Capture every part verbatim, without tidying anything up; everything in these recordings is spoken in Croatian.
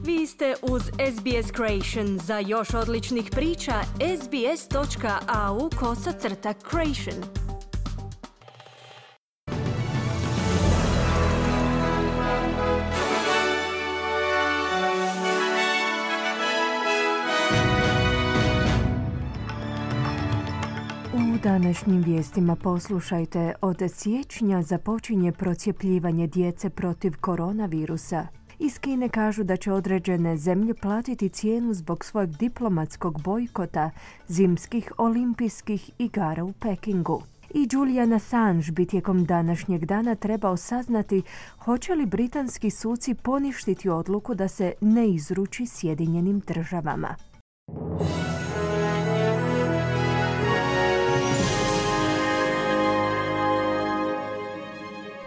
Vi ste uz S B S Creation. Za još odličnih priča, sbs.au kosacrta creation. U današnjim vijestima poslušajte, od siječnja započinje procjepljivanje djece protiv koronavirusa. Iz Kine kažu da će određene zemlje platiti cijenu zbog svojeg diplomatskog bojkota zimskih olimpijskih igara u Pekingu. I Julian Assange bi tijekom današnjeg dana trebao saznati hoće li britanski suci poništiti odluku da se ne izruči Sjedinjenim državama.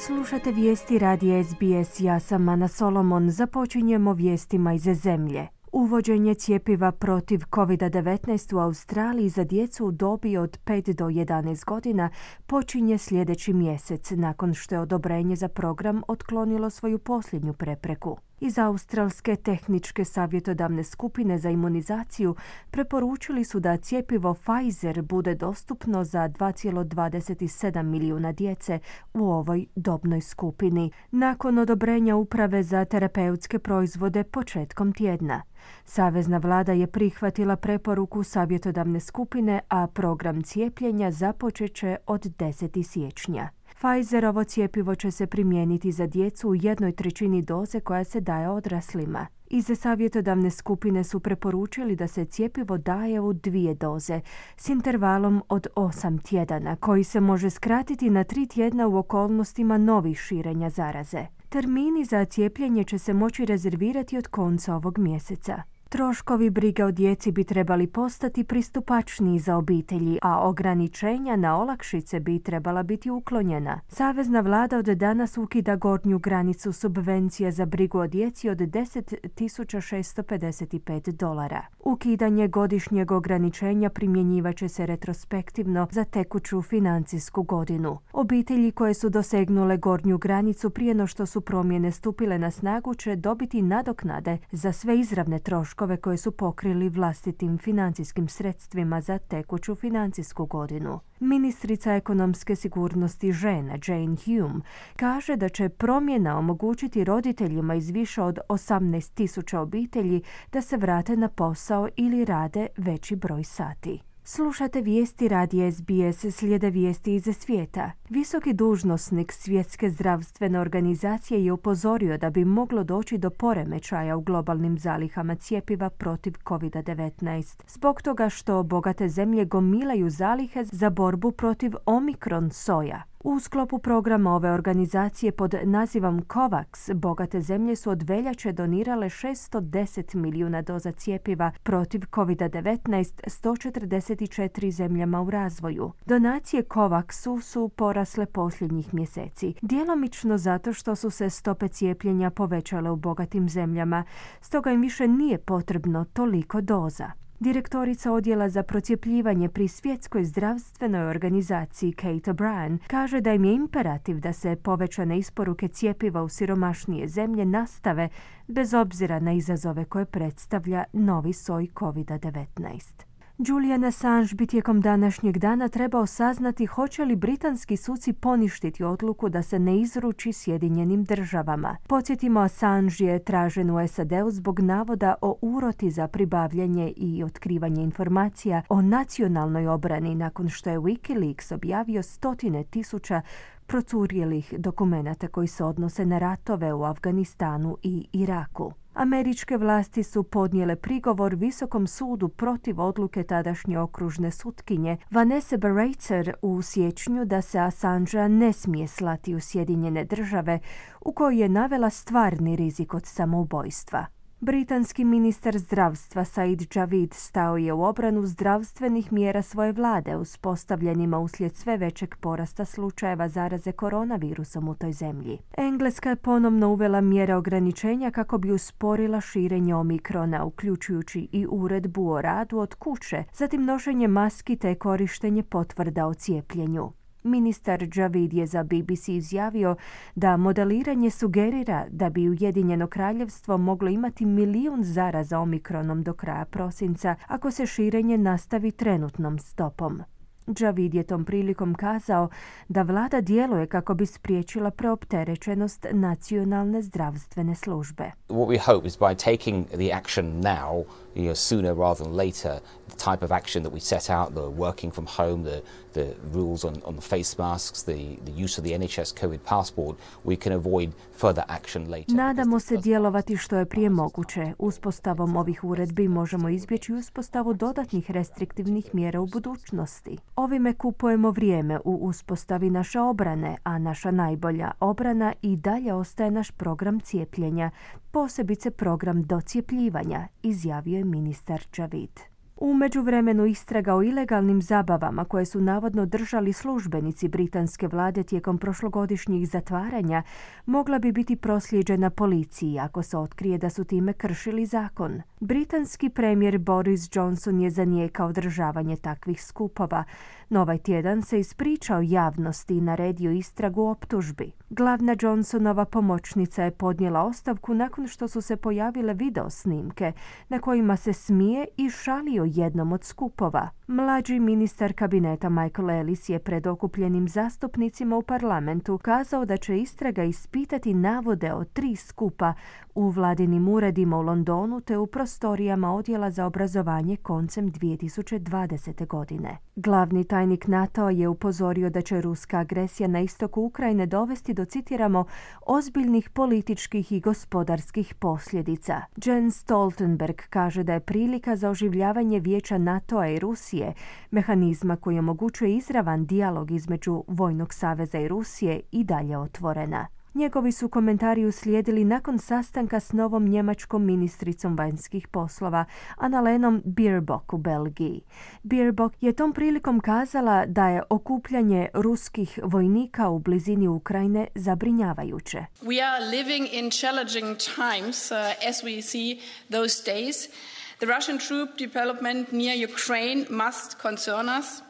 Slušate vijesti radija S B S, ja sam Ana Solomon. Započinjemo vijestima iz zemlje. Uvođenje cjepiva protiv covid devetnaest u Australiji za djecu u dobi od pet do jedanaest godina počinje sljedeći mjesec, nakon što je odobrenje za program otklonilo svoju posljednju prepreku. Iz Australske tehničke savjetodavne skupine za imunizaciju preporučili su da cjepivo Pfizer bude dostupno za dva zarez dvadeset sedam milijuna djece u ovoj dobnoj skupini, nakon odobrenja Uprave za terapeutske proizvode početkom tjedna. Savezna vlada je prihvatila preporuku savjetodavne skupine, a program cijepljenja započet će od desetog siječnja. Pfizerovo cjepivo će se primijeniti za djecu u jednoj trećini doze koja se daje odraslima. Iz savjetodavne skupine su preporučili da se cjepivo daje u dvije doze s intervalom od osam tjedana, koji se može skratiti na tri tjedna u okolnostima novih širenja zaraze. Termini za cijepljenje će se moći rezervirati od konca ovog mjeseca. Troškovi brige o djeci bi trebali postati pristupačniji za obitelji, a ograničenja na olakšice bi trebala biti uklonjena. Savezna vlada od danas ukida gornju granicu subvencija za brigu o djeci od deset tisuća šesto pedeset pet dolara. Ukidanje godišnjeg ograničenja primjenjivat će se retrospektivno za tekuću financijsku godinu. Obitelji koje su dosegnule gornju granicu prije no što su promjene stupile na snagu će dobiti nadoknade za sve izravne troškove koje su pokrili vlastitim financijskim sredstvima za tekuću financijsku godinu. Ministrica ekonomske sigurnosti žena Jane Hume kaže da će promjena omogućiti roditeljima iz više od osamnaest tisuća obitelji da se vrate na posao ili rade veći broj sati. Slušate vijesti radija S B S, slijede vijesti iz svijeta. Visoki dužnosnik Svjetske zdravstvene organizacije je upozorio da bi moglo doći do poremećaja u globalnim zalihama cjepiva protiv covid devetnaest. Zbog toga što bogate zemlje gomilaju zalihe za borbu protiv Omikron soja. U sklopu programa ove organizacije pod nazivom COVAX, bogate zemlje su od veljače donirale šesto deset milijuna doza cjepiva protiv covid devetnaest sto četrdeset četiri zemljama u razvoju. Donacije COVAXu su porasle posljednjih mjeseci, djelomično zato što su se stope cijepljenja povećale u bogatim zemljama, stoga im više nije potrebno toliko doza. Direktorica odjela za procjepljivanje pri Svjetskoj zdravstvenoj organizaciji Kate O'Brien kaže da im je imperativ da se povećane isporuke cjepiva u siromašnije zemlje nastave bez obzira na izazove koje predstavlja novi soj covid devetnaest. Julian Assange bi tijekom današnjeg dana trebao saznati hoće li britanski suci poništiti odluku da se ne izruči Sjedinjenim državama. Podsjetimo, Assange je tražen u S A D-u zbog navoda o uroti za pribavljanje i otkrivanje informacija o nacionalnoj obrani nakon što je Wikileaks objavio stotine tisuća procurjelih dokumenata koji se odnose na ratove u Afganistanu i Iraku. Američke vlasti su podnijele prigovor Visokom sudu protiv odluke tadašnje okružne sutkinje Vanessa Baraitser u siječnju da se Assangea ne smije slati u Sjedinjene države, u kojoj je navela stvarni rizik od samoubojstva. Britanski ministar zdravstva Said Javid stao je u obranu zdravstvenih mjera svoje vlade uspostavljenima uslijed sve većeg porasta slučajeva zaraze koronavirusom u toj zemlji. Engleska je ponovno uvela mjere ograničenja kako bi usporila širenje Omikrona, uključujući i uredbu o radu od kuće, zatim nošenje maski te korištenje potvrda o cijepljenju. Ministar Javid je za B B C izjavio da modeliranje sugerira da bi Ujedinjeno kraljevstvo moglo imati milijun zaraza omikronom do kraja prosinca ako se širenje nastavi trenutnom stopom. Javid je tom prilikom kazao da vlada djeluje kako bi spriječila preopterećenost nacionalne zdravstvene službe. What we hope is by taking the action now, you know, sooner rather than later, the type of action that we set out, the working from home, the, the rules on, on the face masks, the, the use of the N H S COVID passport, we can avoid further action later. Nadamo se djelovati što je prije moguće. Uspostavom ovih uredbi možemo izbjeći uspostavu dodatnih restriktivnih mjera u budućnosti. Ovime kupujemo vrijeme u uspostavi naše obrane, a naša najbolja obrana i dalje ostaje naš program cijepljenja, posebice program docijepljivanja, izjavio je ministar Javid. U međuvremenu istraga o ilegalnim zabavama koje su navodno držali službenici britanske vlade tijekom prošlogodišnjih zatvaranja mogla bi biti proslijeđena policiji ako se otkrije da su time kršili zakon. Britanski premijer Boris Johnson je zanijekao održavanje takvih skupova, no ovaj tjedan se ispričao javnosti i naredio istragu o optužbi. Glavna Johnsonova pomoćnica je podnijela ostavku nakon što su se pojavile video snimke na kojima se smije i šali o jednom od skupova. Mlađi ministar kabineta Michael Ellis je pred okupljenim zastupnicima u parlamentu kazao da će istraga ispitati navode o tri skupa u vladinim uredima u Londonu te u prostorijama odjela za obrazovanje koncem dvije tisuće dvadesete. godine. Glavni tajnik NATO je upozorio da će ruska agresija na istoku Ukrajine dovesti do, citiramo, ozbiljnih političkih i gospodarskih posljedica. Jens Stoltenberg kaže da je prilika za oživljavanje Vijeća NATO-a i Rusije, mehanizma koji omogućuje izravan dijalog između Vojnog saveza i Rusije, i dalje otvorena. Njegovi su komentari uslijedili nakon sastanka s novom njemačkom ministricom vanjskih poslova, Annalenom Baerbock u Belgiji. Baerbock je tom prilikom kazala da je okupljanje ruskih vojnika u blizini Ukrajine zabrinjavajuće. We are living in challenging times uh, as we see those days. The Russian troop development near Ukraine must concern us.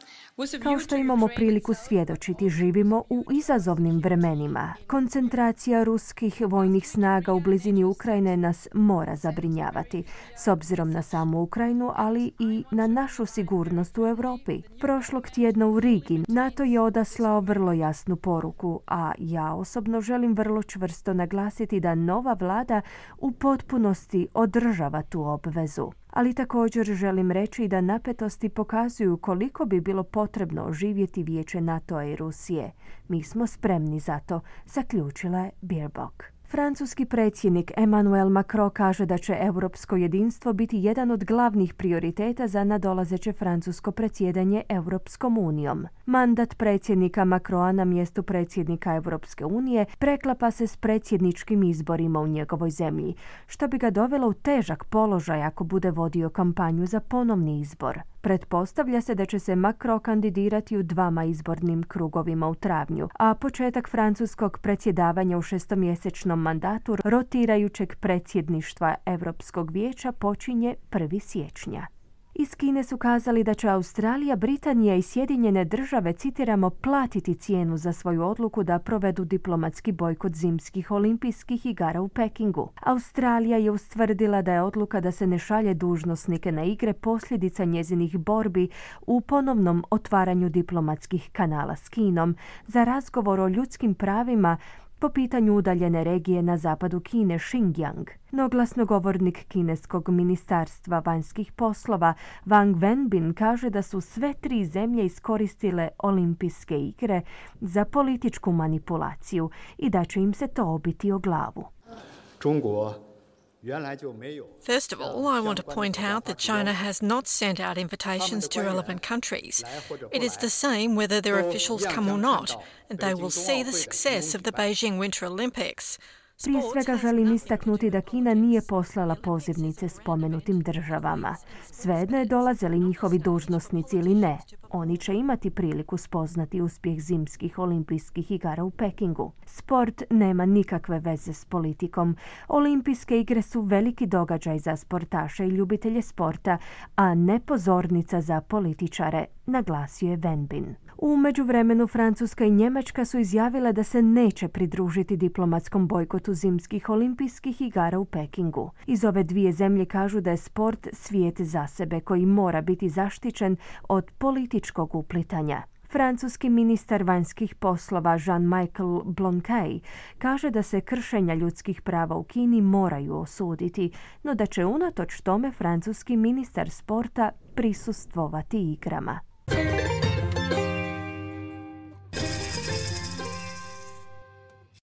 Kao što imamo priliku svjedočiti, živimo u izazovnim vremenima. Koncentracija ruskih vojnih snaga u blizini Ukrajine nas mora zabrinjavati, s obzirom na samu Ukrajinu, ali i na našu sigurnost u Europi. Prošlog tjedna u Rigi NATO je odaslao vrlo jasnu poruku, a ja osobno želim vrlo čvrsto naglasiti da nova vlada u potpunosti održava tu obvezu. Ali također želim reći da napetosti pokazuju koliko bi bilo potrebno oživjeti Vijeće NATO-a i Rusije. Mi smo spremni za to, zaključila je Baerbock. Francuski predsjednik Emmanuel Macron kaže da će europsko jedinstvo biti jedan od glavnih prioriteta za nadolazeće francusko predsjedanje Europskom unijom. Mandat predsjednika Macrona na mjestu predsjednika Europske unije preklapa se s predsjedničkim izborima u njegovoj zemlji, što bi ga dovelo u težak položaj ako bude vodio kampanju za ponovni izbor. Pretpostavlja se da će se Macron kandidirati u dvama izbornim krugovima u travnju, a početak francuskog predsjedavanja u šestomjesečnom mandatu rotirajućeg predsjedništva Europskog vijeća počinje prvog siječnja. Iz Kine su kazali da će Australija, Britanija i Sjedinjene države, citiramo, platiti cijenu za svoju odluku da provedu diplomatski bojkot zimskih olimpijskih igara u Pekingu. Australija je ustvrdila da je odluka da se ne šalje dužnosnike na igre posljedica njezinih borbi u ponovnom otvaranju diplomatskih kanala s Kinom za razgovor o ljudskim pravima po pitanju udaljene regije na zapadu Kine, Xinjiang. No glasnogovornik kineskog ministarstva vanjskih poslova Wang Wenbin kaže da su sve tri zemlje iskoristile olimpijske igre za političku manipulaciju i da će im se to obiti o glavu. First of all, I want to point out that China has not sent out invitations to relevant countries. It is the same whether their officials come or not, and they will see the success of the Beijing Winter Olympics. Prije svega želim istaknuti da Kina nije poslala pozivnice spomenutim državama. Svejedno je dolaze li njihovi dužnosnici ili ne. Oni će imati priliku spoznati uspjeh zimskih olimpijskih igara u Pekingu. Sport nema nikakve veze s politikom. Olimpijske igre su veliki događaj za sportaše i ljubitelje sporta, a ne pozornica za političare, naglasio je Venbin. U međuvremenu Francuska i Njemačka su izjavile da se neće pridružiti diplomatskom bojkotu zimskih olimpijskih igara u Pekingu. Iz ove dvije zemlje kažu da je sport svijet za sebe koji mora biti zaštićen od političkog uplitanja. Francuski ministar vanjskih poslova Jean-Michel Blanquet kaže da se kršenja ljudskih prava u Kini moraju osuditi, no da će unatoč tome francuski ministar sporta prisustvovati igrama.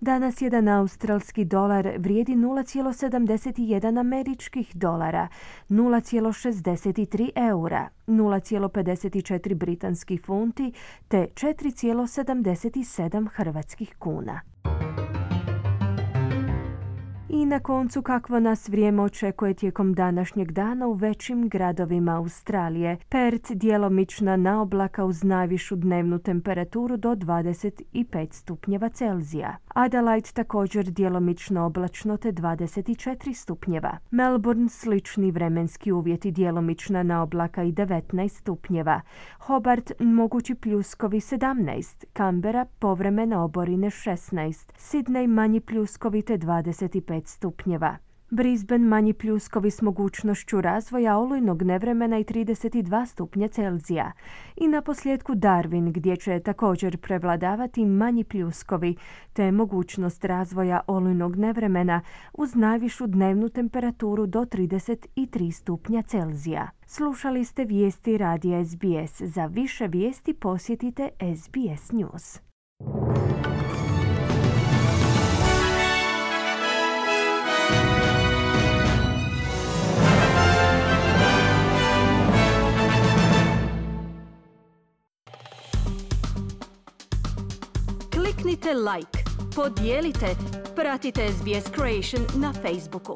Danas jedan australski dolar vrijedi nula zarez sedamdeset jedan američkih dolara, nula zarez šezdeset tri eura, nula zarez pedeset četiri britanskih funti te četiri zarez sedamdeset sedam hrvatskih kuna. I na koncu kakvo nas vrijeme očekuje tijekom današnjeg dana u većim gradovima Australije. Perth djelomična naoblaka uz najvišu dnevnu temperaturu do dvadeset pet stupnjeva Celzija. Adelaide također djelomično oblačno te dvadeset četiri stupnjeva. Melbourne slični vremenski uvjeti djelomična naoblaka i devetnaest stupnjeva. Hobart mogući pljuskovi sedamnaest. Canberra povremene oborine šesnaest. Sydney manji pljuskovi te dvadeset pet stupnjeva. Brisbane manji pljuskovi s mogućnošću razvoja olujnog nevremena i trideset dva stupnja Celzija. I na posljedku Darwin gdje će također prevladavati manji pljuskovi te mogućnost razvoja olujnog nevremena uz najvišu dnevnu temperaturu do trideset tri stupnja Celzija. Slušali ste vijesti radija S B S. Za više vijesti posjetite S B S News. Kliknite like, podijelite, pratite S B S Creation na Facebooku.